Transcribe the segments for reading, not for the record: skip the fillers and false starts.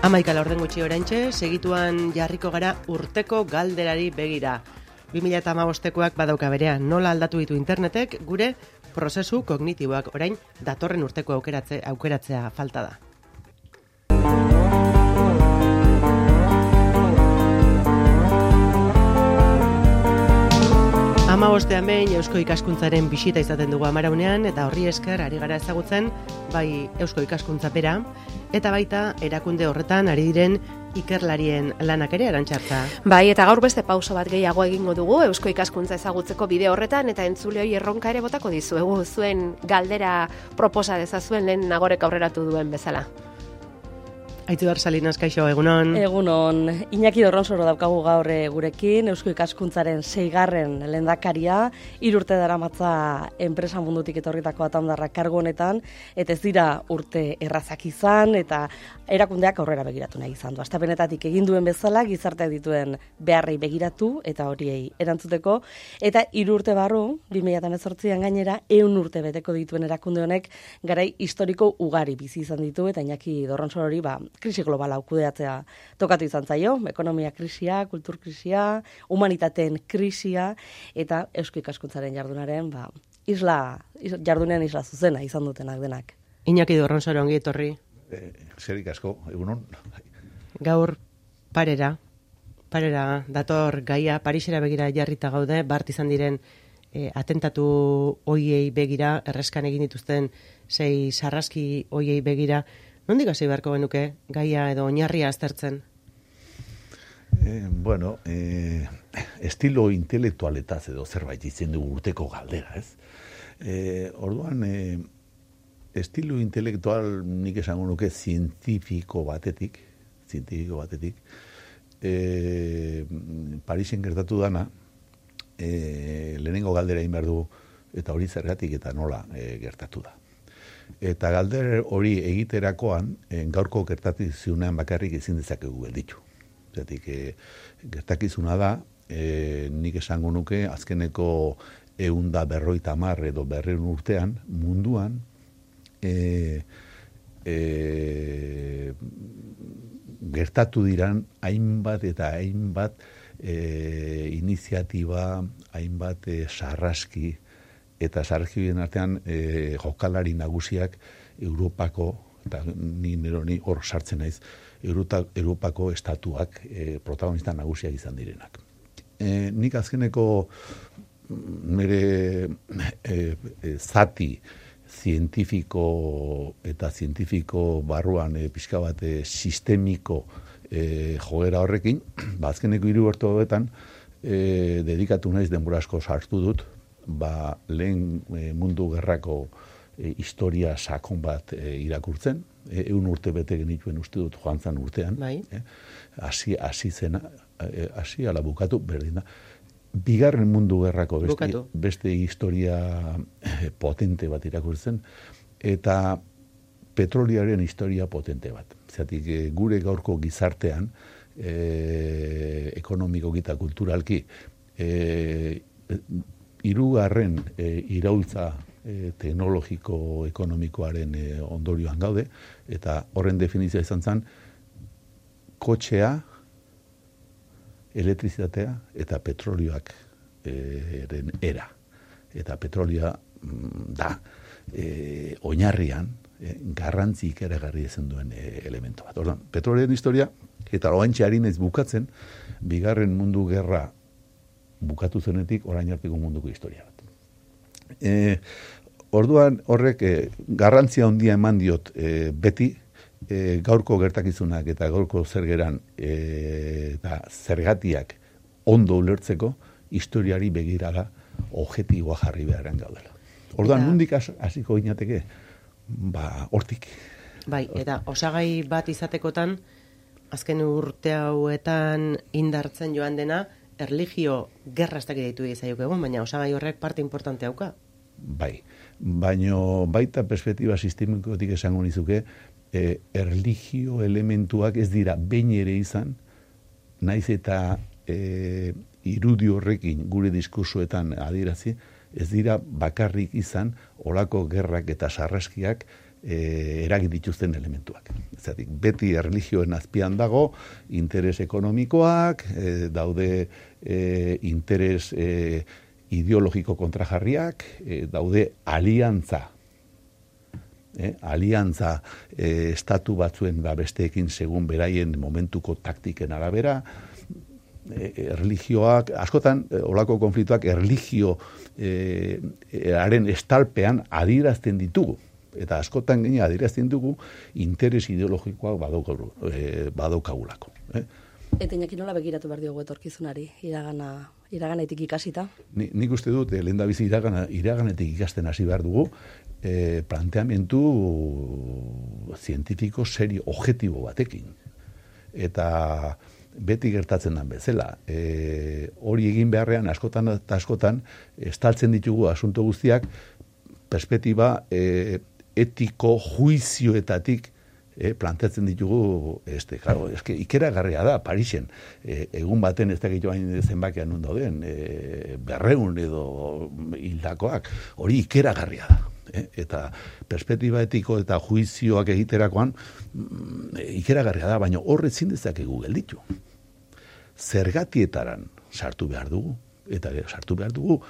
11 gutxi oraintxe, segituan jarriko gara urteko galderari begira. 2015koak badauka berean, nola aldatu ditu internetek gure prozesu kognitiboak, orain datorren urteko aukeratzea falta da. Hamabostean behin Eusko Ikaskuntzaren bisita izaten dugu Amaraunean, eta horri esker ari gara ezagutzen bai Eusko Ikaskuntza bera, eta baita erakunde horretan ari diren ikerlarien lanak ere, Arantxartza. Bai, eta gaur beste pauso bat gehiago egingo dugu Eusko Ikaskuntza ezagutzeko bide horretan, eta entzuleoi erronka ere botako dizuegu, zuen galdera proposa dezazuen lehen Nagorek aurreratu duen bezala. Aitziber Salinas, kaixo, egunon. Egunon. Iñaki Dorronsoro daukagu gaur gurekin, Eusko Ikaskuntzaren 6. lehendakaria, 3 urte daramatza enpresa mundutik etorritako atandarra kargu honetan, eta ez dira urte errazak izan, eta erakundeak aurrera begiratu nahi izan du. Hastapenetatik egin duen bezala, gizarteak dituen beharrei begiratu, eta horiei erantzuteko, eta 3 urte barru, 2018an gainera, 100 urte beteko dituen erakunde honek, garai historiko ugari bizi izan ditu, eta Iñaki Dorronsoro hori, krisi globala kudeatzea tokatu izan zaio, ekonomia krisia, kultur krisia, humanitateen krisia, eta Eusko Ikaskuntzaren jardunaren, jardunean isla zuzena izan dutenak denak. Iñaki Dorronsoro, ongi etorri. Zerik asko, egunon. Gaur parera dator gaia, Parisera begira jarrita gaude, bart izan diren atentatu hoiei begira, erreskan egin dituzten 6 sarraski hoiei begira. Nondik hasi beharko genuke gaia edo oinarria aztertzen? Estilo intelektualetaz edo zerbait izen dugu urteko galdera, ez? Orduan, estilo intelektual nik esango nuke zientifiko batetik, Parisen gertatu dana, lehenengo galdera egin behar du, eta hori zergatik eta nola gertatu da. Eta galder hori egiterakoan, gaurko gertakizunean bakarrik ezin dezakegu gelditu. Zeratik, gertakizuna da, nik esango nuke, azkeneko 150 edo 200 urtean, munduan, gertatu diran hainbat eta hainbat iniziatiba, hainbat sarraski, eta sarraskien artean jokalari nagusiak Europako, eta ni hor sartzen naiz, Europako estatuak protagonista nagusiak izan direnak. Nik azkeneko nire zati zientifiko eta zientifiko barruan pixka bat sistemiko joera horrekin, azkeneko 3 urte hauetan dedikatu naiz denbora asko sartu dut, lehen mundu gerrako historia sakon bat irakurtzen, 100 urte bete genituen uste dut joan zan urtean, hasi ala bukatu, berdin da. Bigarren mundu gerrako beste historia potente bat irakurtzen, eta petroliaren historia potente bat. Zeratik, gure gaurko gizartean, ekonomikoki eta kulturalki, 3. iraultza teknologiko-ekonomikoaren ondorioan gaude, eta horren definizioa izan zen, kotxea, elektrizitatea eta petrolioak era. Eta petrolioa da oinarrian garrantzi ikaragarri ezen duen elemento bat. Orduan, petrolioaren historia, eta oantxe ari naiz bukatzen, bigarren mundu gerra bukatu zenetik orain arteko munduko historia bat. Orduan horrek garrantzia handia eman diot beti gaurko gertakizunak eta gaurko zergeran eta zergatiak ondo ulertzeko historiari begirala objektiboa jarri beharren gaudela. Orduan nondik hasiko ginateke? Hortik. Bai, eta osagai bat izatekotan azken urte hauetan indartzen joan dena erlijio gerra ez dakit deitu egizaioke egun, baina osagai horrek parte importante hauka. Bai, baina baita perspektiba sistemikotik esango nizuke, erlijio elementuak ez dira behin ere izan, naiz eta irudi horrekin gure diskursoetan adierazi, ez dira bakarrik izan olako gerrak eta sarraskiak eragin dituzten elementuak. Zeratik, beti erlijioen azpian dago, interes ekonomikoak, daude interes ideologiko kontrajarriak, daude aliantza estatu batzuen besteekin segun beraien momentuko taktiken arabera, erlijioak, askotan, olako konfliktuak erlijioaren estalpean adierazten ditugu. Eta askotan gine adierazten dugu interes ideologikoak badaukagulako. Eta Iñaki nola begiratu behar diogu etorkizunari, iraganetik ikasita? Nik uste dut, lehendabizi iraganetik ikasten hasi behar dugu, planteamentu zientifiko serio, objektibo batekin. Eta beti gertatzen den bezala. Hori egin beharrean, askotan eta askotan, estaltzen ditugu asunto guztiak, perspektiba etiko juizioetatik planteatzen ditugu, claro, ikeragarria da, Parisen, egun baten ez dakit joan zenbakian non dauden, 200 edo hildakoak, hori ikeragarria da. Eta perspektiba etiko eta juizioak egiterakoan ikeragarria da, baina horre ezin dezakegu gelditu. Zergatietaran sartu behar dugu, eta sartu behar dugu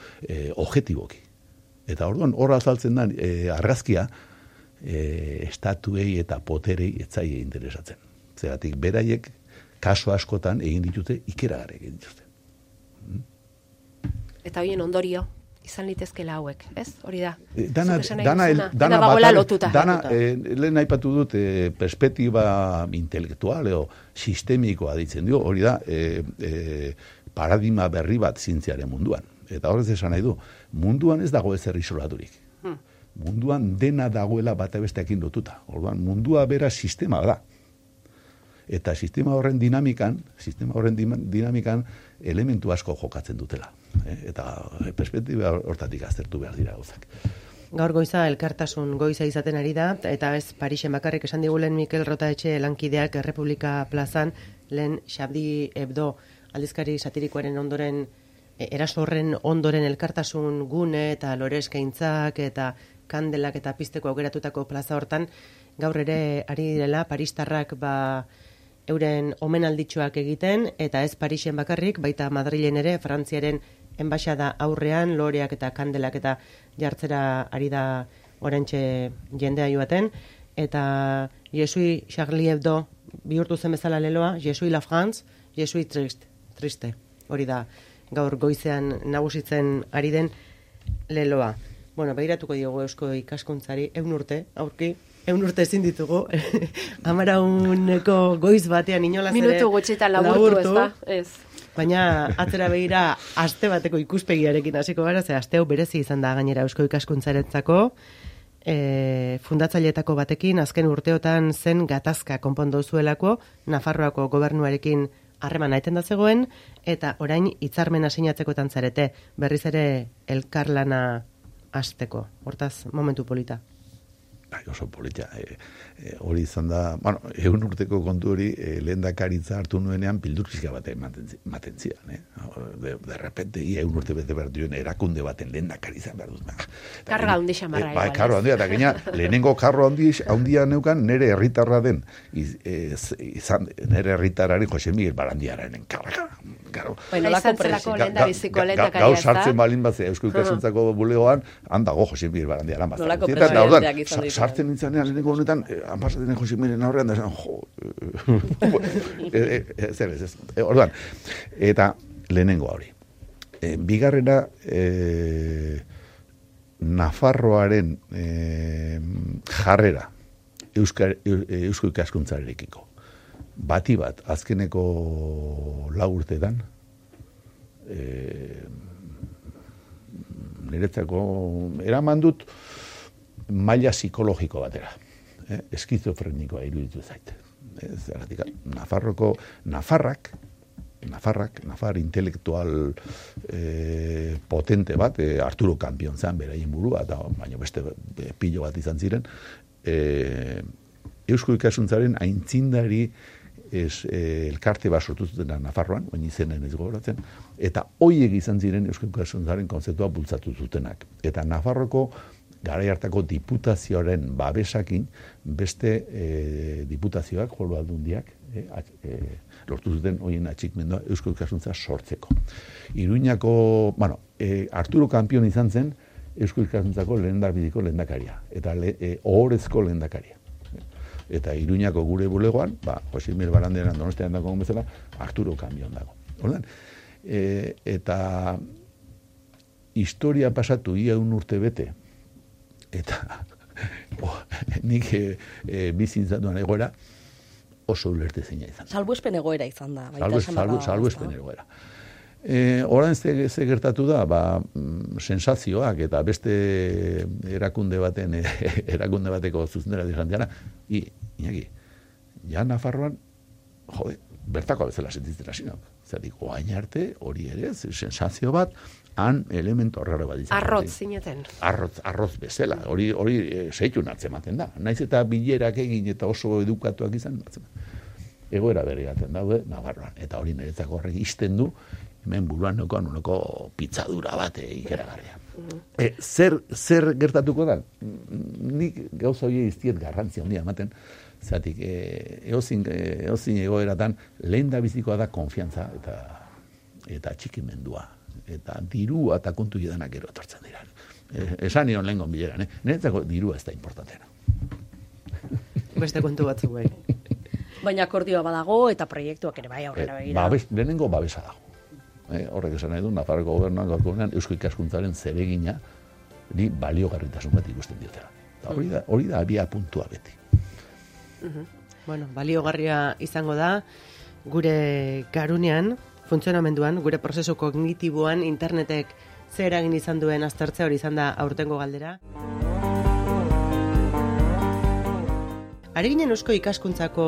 objektiboki. Eta orduan horra azaltzen da argazkia estatuei eta poterei etzaie interesatzen. Zeratik beraiek kaso askotan egin dituzte, ikeragarri egin dituzte. Eta horien ondorio izan litezkela hauek, ez? Hori da. Dana bagoela lotuta. Lehen aipatu dut perspektiba intelektual edo sistemikoa ditzen dio, hori da paradigma berri bat zientziaren munduan. Eta horrez esan nahi du, munduan ez dago ezer isolaturik. Munduan dena dagoela bata besteekin lotuta. Orduan, mundua bera sistema da. Eta sistema horren dinamikan elementu asko jokatzen dutela. Eta perspektiba hortatik aztertu behar dira gauzak. Gaur goiza elkartasun goiza izaten ari da, eta ez Parisen bakarrik esan digulen Mikel Rotaetxe lankideak Errepublika plazan, lehen Charlie Hebdo aldizkari satirikoaren ondoren, eraso horren ondoren elkartasun gune eta lore eskaintzak eta kandelak eta pizteko aukeratutako plaza hortan, gaur ere ari direla paristarrak euren omenalditxoak egiten, eta ez Parisen bakarrik, baita Madrilen ere, Frantziaren enbaxada aurrean, loreak eta kandelak eta jartzera ari da oraintxe jendea joaten, eta Jesui Charlie Hebdo bihurtu zen bezala leloa, Jesui la France, Jesui triste. Hori da, gaur goizean nagusitzen ari den leloa. Bueno, behiratuko diogu eusko ikaskuntzari, 100 urte, aurki, 100 urte ezin ditugu, 11eko goiz batean inolaz ere minutu gutxitan laburtu, ez da? Ez. Baina atzera begira aste bateko ikuspegiarekin hasiko gara, ze aste hau berezi izan da gainera eusko ikaskuntzarentzako, fundatzaileetako batekin azken urteotan zen gatazka konpondu zuelako, Nafarroako gobernuarekin harremana eten da zegoen, eta orain hitzarmena sinatzekotan zarete, berriz ere elkarlana hasteko. Hortaz, momentu polita. Oso polita. Hori izan da, 100 urteko kontu hori lehendakaritza hartu nuenean pildurpizka bat ematen zidan. De repente, 100 urte bete behar duen erakunde baten lehendakaritza behar dut. Karga handi xamarra. Karro handia, eta gaina, lehenengo karro handia neukan nere herritarra den, nere herritarrari Jose Miguel Barandiararen karga. Izan zelako lehendabiziko lehendakaria, ez da? Gau sartzen balin bat, Eusko Ikasuntzako bulegoan, handago Jose Miguel Barandiaran bat. Nolako presidenteak izan ditu. Sartzen nintzanean lehenengo honetan, anpasaten Jose Miguelen aurrean, da ez. Orduan, eta lehenengo hori. Bigarrena, Nafarroaren jarrera Eusko Ikaskuntzarekiko. Bati bat, azkeneko 4 urteetan, niretzako eraman dut maila psikologiko batera. Eskizofrenikoa iruditu zait. Nafar intelektual potente bat, Arturo Campion zen beraien burua, baina beste pilo bat izan ziren, Eusko Ikasuntzaren aintzindari elkarte bat sortu zuten Nafarroan, oin izenen ez gogoratzen, eta hoiek izan ziren Eusko Ikasuntzaren kontzeptua bultzatu zutenak. Eta Nafarroko garai hartako diputazioaren babesakin beste diputazioak, foru aldundiak, lortu zuten horien atxikmendua Eusko Ikaskuntza sortzeko. Iruñako, Arturo Kampion izan zen Eusko Ikaskuntzako lehendabidiko lehendakaria, eta ohorezko lehendakaria. Eta Iruñako gure bulegoan, Jose Miguel Barandiaran Donostian dago bezala, Arturo Kampion dago. Ordan, eta historia pasatu ia urte bete, eta nik bizintzatuan egoera, oso ulertezina izan. Salbuespen egoera izan da. Salbuespen egoera. Orain ze gertatu da, sensazioak eta beste erakunde bateko zuzendera izan dira, Iñaki, ja Nafarroan, bertako bezala sentitzen hasi nauk. Zertik, oain arte, hori ere, sensazio bat, han elemento horrela bat izan. Arrotz zineten. Arroz bezala, hori zeitu natzematen da. Naiz eta bilerak egin eta oso edukatuak izan natzematen. Egoera berriaten daude, Navarroan. Eta hori niretzako horrek izten du, hemen buruan nolako pitzadura bat ikeragarria. Zer gertatuko da? Nik gauza hori iztiet garrantzia handia ematen, zatik, eozin egoeratan lehen da bizikoa da konfiantza eta txikimendua. Eta dirua eta kontu edanak gero etortzen dira. Esan nion lehen gonbileran, niretzako dirua ez da importantena. Beste kontu batzuk bai. Baina akordioa badago eta proiektuak ere bai aurrera begira. Lehenengo babesa dago. Horrek esan nahi du, Nafarroko gobernuan gaurkoenean Eusko Ikaskuntzaren zeregina baliogarritasun bat ikusten diotela. Hori da abia puntua beti. Baliogarria izango da gure garunean, funtzionamenduan, gure prozesu kognitiboan, internetek zer eragin izan duen aztertzea hori izan da aurtengo galdera. Ari ginen Eusko Ikaskuntzako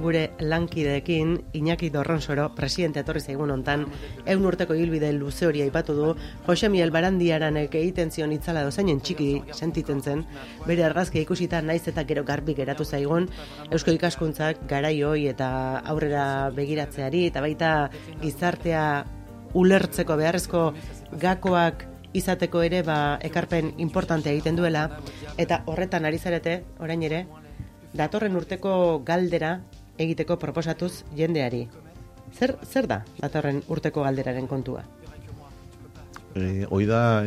gure lankideekin, Iñaki Dorronsoro, presidente etorri zaigun hontan, 100 urteko ibilbide luze hori aipatu du, Jose Miguel Barandiaranek egiten zion itzala dozainen txiki sentitzen zen, bere argazkia ikusita naiz eta gero garbi geratu zaigun, Eusko Ikaskuntzak garaioi eta aurrera begiratzeari, eta baita gizartea ulertzeko beharrezko gakoak izateko ere ekarpen importante egiten duela, eta horretan ari zarete, orain ere, datorren urteko galdera egiteko proposatuz jendeari. Zer da datorren urteko galderaren kontua? Hoi da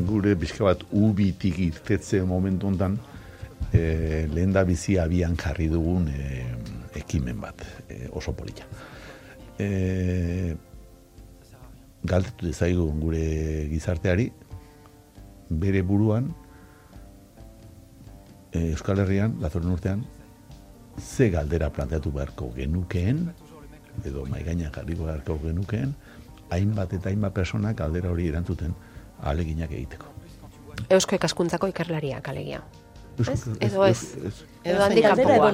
gure pixka bat ubitik irtetze momentu hontan lehen da bizi abian jarri dugun ekimen bat, oso polita. Galdetu dezaigun gure gizarteari bere buruan Euskal Herrian, datorren urtean, ze galdera planteatu beharko genukeen, edo maigainan jarriko beharko genukeen, hainbat eta hainbat personak galdera hori erantzuten ahaleginak egiteko. Eusko Ikaskuntzako ikerlariak alegia. Edo ez. Edo handikapuak.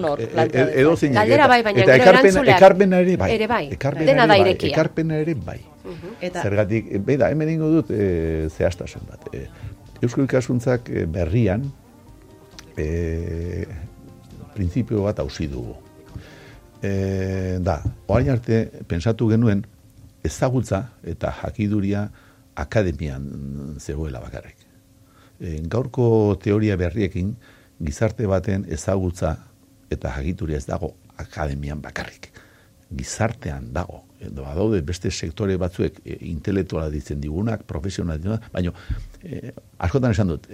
Galdera bai, baina gero erantzuleak. Ekarpena ere bai. Ere bai. Dena da irekia. Ekarpena ere bai. Zergatik, hemen ingo dut zehaztasun bat. Eusko Ikaskuntzak berrian, printzipio bat hausi dugu. Orain arte, pensatu genuen, ezagutza eta jakiduria akademian zegoela bakarrik. Gaurko teoria berriekin, gizarte baten ezagutza eta jakituria ez dago akademian bakarrik. Gizartean dago. Badaude beste sektore batzuek intelektuala ditzen digunak, profesional digunak, baina askotan esan dut,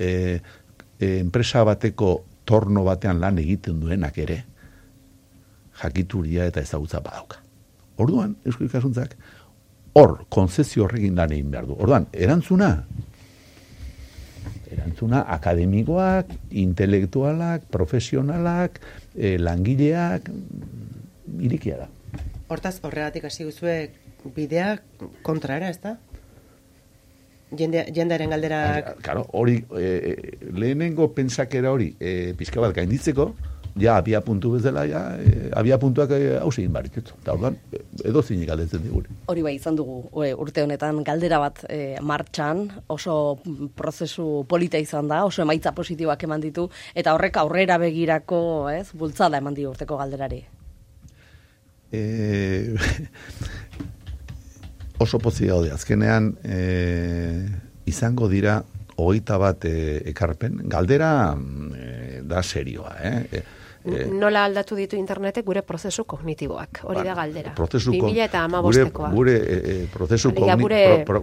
enpresa bateko torno batean lan egiten duenak ere jakituria eta ezagutza badauka. Orduan, Eusko Ikaskuntzak hor, konzesio horrekin lan egin behar du. Orduan, erantzuna akademikoak, intelektualak, profesionalak, langileak, irikia da. Hortaz, horregatik hasi guzue bidea kontrara, ez da? Jendearen galderak... Claro, hori, lehenengo pentsakera hori, pixka bat gainditzeko, abia puntu bezala, abia puntuak hausi egin barritut. Eta orduan, edo zinik galdetzen diguri. Hori bai, izan dugu urte honetan galdera bat martxan, oso prozesu polita izan da, oso emaitza positiboak eman ditu, eta horrek aurrera begirako, bultzada eman ditu urteko galderari. Oso pozik gaude, azkenean izango dira 21 ekarpen, galdera da serioa, Nola aldatu ditu internetek gure prozesu kognitiboak, hori da galdera. 2015koa.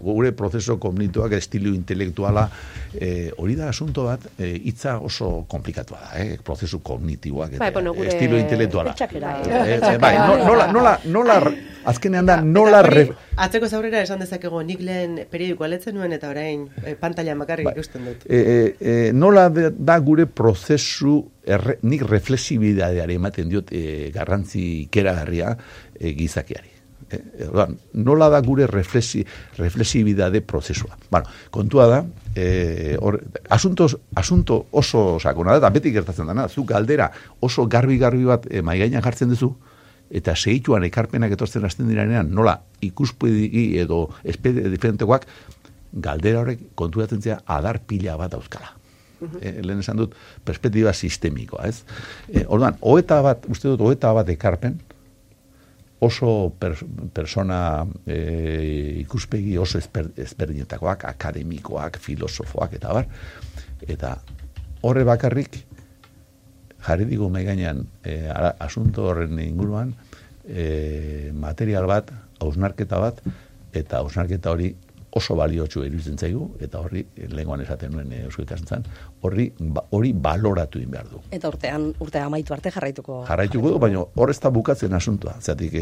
Gure prozesu kognitiboak, estilo intelektuala, hori da asunto bat, hitza oso komplikatua da, prozesu kognitiboak, estilo intelektuala. Nola, azkenean da, nola... Atzeko zaurera esan dezakego, nik lehen periodikoa letzen nuen eta orain pantailan bakarrik ikusten dut. Nola da gure prozesu, nik reflexibidadeari ematen diot garrantzi ikeragarria gizakiari. Nola da gure reflexibidade prozesua. Bueno, kontua da, asunto oso sakona da, eta beti gertatzen dana, zu galdera oso garbi bat maigainan jartzen duzu, eta segituan ekarpenak etortzen hasten diranean, nola ikuspegi edo espede diferentekoak, galdera horrek konturatzen zea adar pila bat dauzkala. Lehen esan dut, perspektiba sistemikoa, ez? Orduan, uste dut, 21 ekarpen, oso persona ikuspegi oso ezberdinetakoak, akademikoak, filosofoak, eta bar, eta horre bakarrik, jarri digu maiganean asunto horren inguruan material bat, hausnarketa bat, eta hausnarketa hori oso baliotsu iruditzen zaigu, eta horri, lehengoan esaten nuen Eusko Ikaskuntzan, hori baloratu egin behar du. Eta urtea amaitu arte jarraituko du, baina hor ez da bukatzen asuntua. Zatik,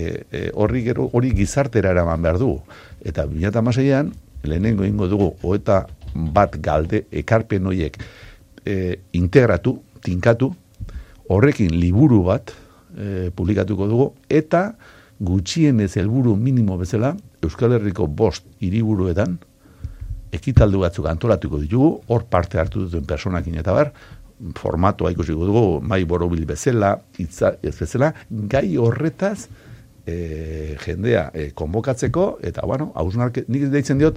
hori gizartera eraman behar du. Eta 2016an, lehenengo ingo dugu, 21 galde ekarpen horiek integratu, tinkatu, horrekin liburu bat publikatuko dugu, eta gutxienez helburu minimo bezala, Euskal Herriko 5 hiriburuetan ekitaldi batzuk antolatuko ditugu, hor parte hartu duten personakin eta bar, formatoa ikusiko dugu, mai borobil bezala, hitza ez bezala, gai horretaz jendea konbokatzeko, eta bueno, nik deitzen diot,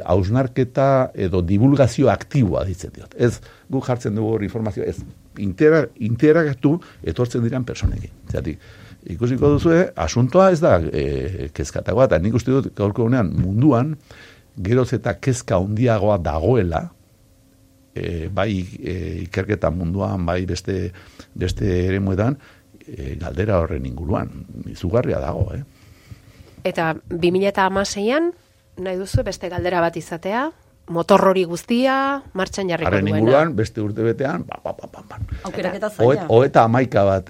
hausnarketa edo divulgazio aktiboa deitzen diot. Ez, guk jartzen dugu hor informazioa, ez, interagatu etortzen diran personekin. Zatik, ikusiko duzue, asuntoa ez da kezkatagoa, eta nik uste dut gaurko honean munduan, geroz eta kezka handiagoa dagoela, bai ikerketa munduan, bai beste eremuetan, galdera horren inguruan, izugarria dago, Eta 2016an, nahi duzu beste galdera bat izatea, motor hori guztia, martxan jarriko duena. Haren inguruan, beste urte betean, aukeraketa zaila. 31 bat,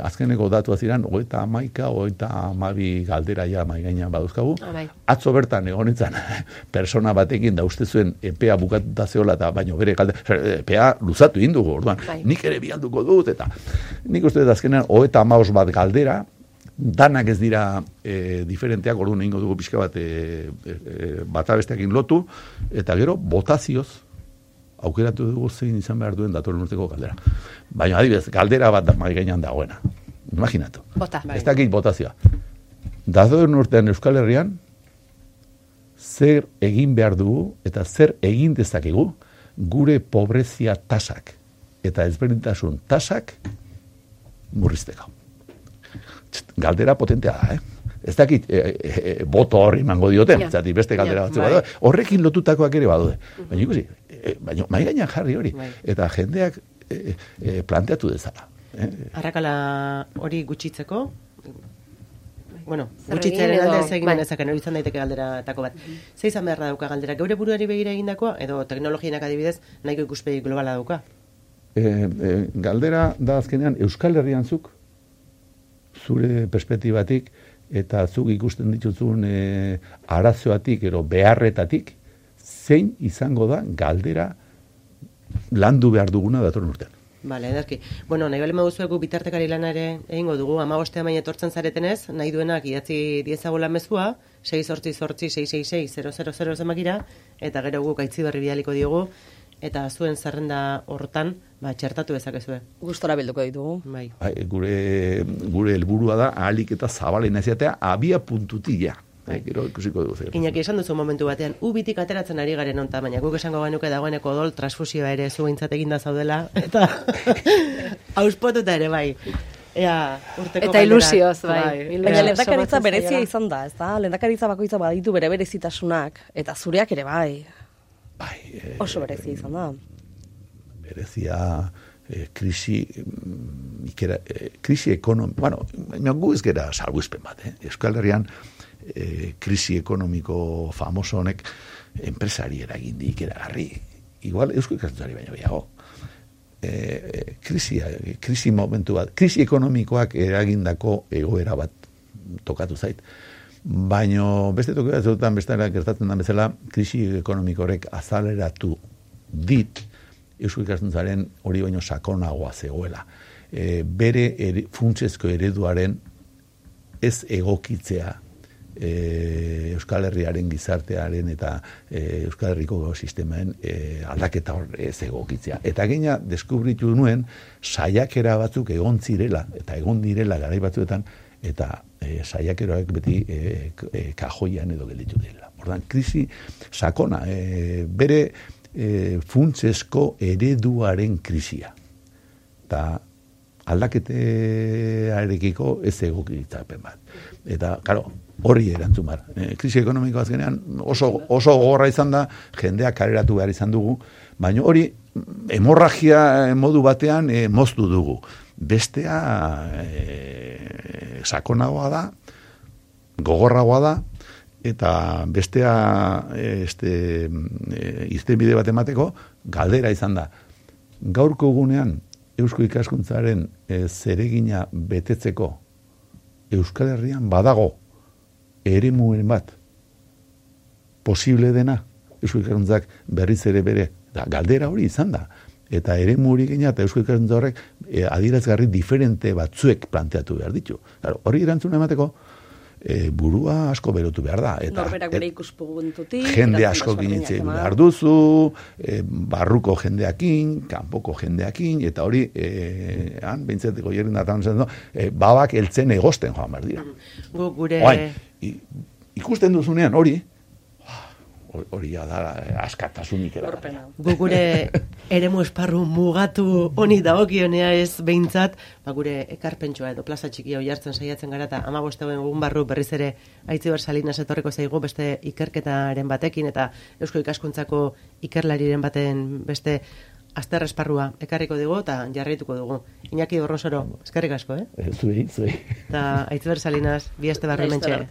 azkeneko datu ziren, 32 galdera ja maigainan baduzkagu. Atzo bertan egonetzan, persona batekin da uste zuen epea bukatuta zeola, eta baino bere galdera, epea luzatu indugu, orduan, nik ere bialduko dut, eta nik uste dut azkenean, 35 bat galdera, danak ez dira diferenteak, orduan egingo dugu pixka bat bata besteakin lotu, eta gero botazioz aukeratu dugu zein izan behar duen datorren urteko galdera. Baina adibidez, galdera bat mahai gainean dagoena. Imaginatu. Ez dakit botazioa. Datorren urtean Euskal Herrian zer egin behar dugu eta zer egin dezakegu gure pobrezia tasak eta ezberdintasun tasak murrizteko. Galdera potentea da, Ez dakit, boto horri mango dioten, zati beste galdera batzuk badaude. Horrekin lotutakoak ere badaude. Baina ikusi, mai gainean jarri hori. Eta jendeak planteatu dezala. Arrakala hori gutxitzeko, bueno, gutxitzearen alde ez egin dezaken, hori izan daiteke galderatako bat. Ze izan beharra dauka galdera, geure buruari begira egindakoa, edo teknologienak adibidez, nahiko ikuspegi globala dauka? Galdera da azkenean Euskal Herrian zuk, zure perspektibatik, eta zuk ikusten dituzun arazoatik, ero beharretatik, zein izango da galdera landu behar duguna datorren urtean. Bale, edarki. Bueno, nahi bale maguzuegu bitartekari lana ere egingo dugu, 15 main etortzen zaretenez, nahi duenak idatzi diezagola mezua, 688-666-000 zemakira, eta gero guk aitzi berri bidaliko diogu, eta zuen zerrenda hortan, txertatu dezakezue. Gustora bilduko ditugu. Bai. Gure helburua da ahalik eta zabalena izatea abia puntutia. Gero ikusiko dugu zer. Iñaki, esan duzu momentu batean, ubitik ateratzen ari garen onta, baina guk esango genuke dagoeneko odol transfusioa ere zuentzat eginda zaudela, eta auspotuta ere bai. Eta ilusioz, bai. Baina lehendakaritza berezia izan da, ez da? Lehendakaritza bakoitza baditu bere berezitasunak, eta zureak ere bai. Bai. Oso berezia izan da. Berezia krisi ekonomiko, bueno, gu ez gera salbuespen bat, Euskal Herrian krisi ekonomiko famoso honek enpresari eragindik eragarri. Igual eusko ikaskuntzari baino gehiago. Krisi momentu bat, krisi ekonomikoak eragindako egoera bat tokatu zait. Baino beste toki batzuetan bestela gertatzen da bezala, krisi ekonomikorek azaleratu dit eusko ikaskuntzaren hori baino sakonagoa zegoela. Bere funtsezko ereduaren ez egokitzea Euskal Herriaren gizartearen eta Euskal Herriko sistemaen aldaketa hor ez egokitzea. Eta gaina deskubritu nuen saiakera batzuk egon zirela eta egon direla garai batzuetan eta saiakeroak beti kajoian edo gelditu direla. Ordan krisi sakona, bere funtsezko ereduaren krisia. Eta aldaketearekiko ez egokitzapen bat. Eta, claro, hori erantzun bar. Krisi ekonomiko azkenean oso gogorra izan da, jendeak kaleratu behar izan dugu, baina hori hemorragia modu batean moztu dugu. Bestea sakonagoa da, gogorragoa da, eta bestea irtenbide bat emateko galdera izan da. Gaurko egunean eusko ikaskuntzaren zeregina betetzeko Euskal Herrian badago eremuen bat posible dena eusko ikaskuntzak berriz ere bere galdera hori izan da. Eta eremu hori gaina eta eusko ikaskuntza horrek adierazgarri diferente batzuek planteatu behar ditu. Claro, hori erantzuna emateko burua asko berotu behar da. Norberak bere ikuspuntutik. Jende asko ginitzen behar duzu, barruko jendeakin, kanpoko jendeakin, eta hori, han, behintzateko jerin datan zen, babak eltzen egosten joan behar dira. Gure... Ikusten duzunean hori da askatasunik eragarria. Gure eremu esparru mugatu honi dagokionea ez behintzat, gure ekarpentsua edo plaza txiki hau jartzen saiatzen gara eta 15 egun barru berriz ere Aitziber Salinas etorriko zaigu beste ikerketaren batekin eta Eusko Ikaskuntzako ikerlariren baten beste azter esparrua ekarriko dugu eta jarraituko dugu. Iñaki Dorronsoro, eskerrik asko, Zuei. Eta Aitziber Salinas, bi aste barru mentxe.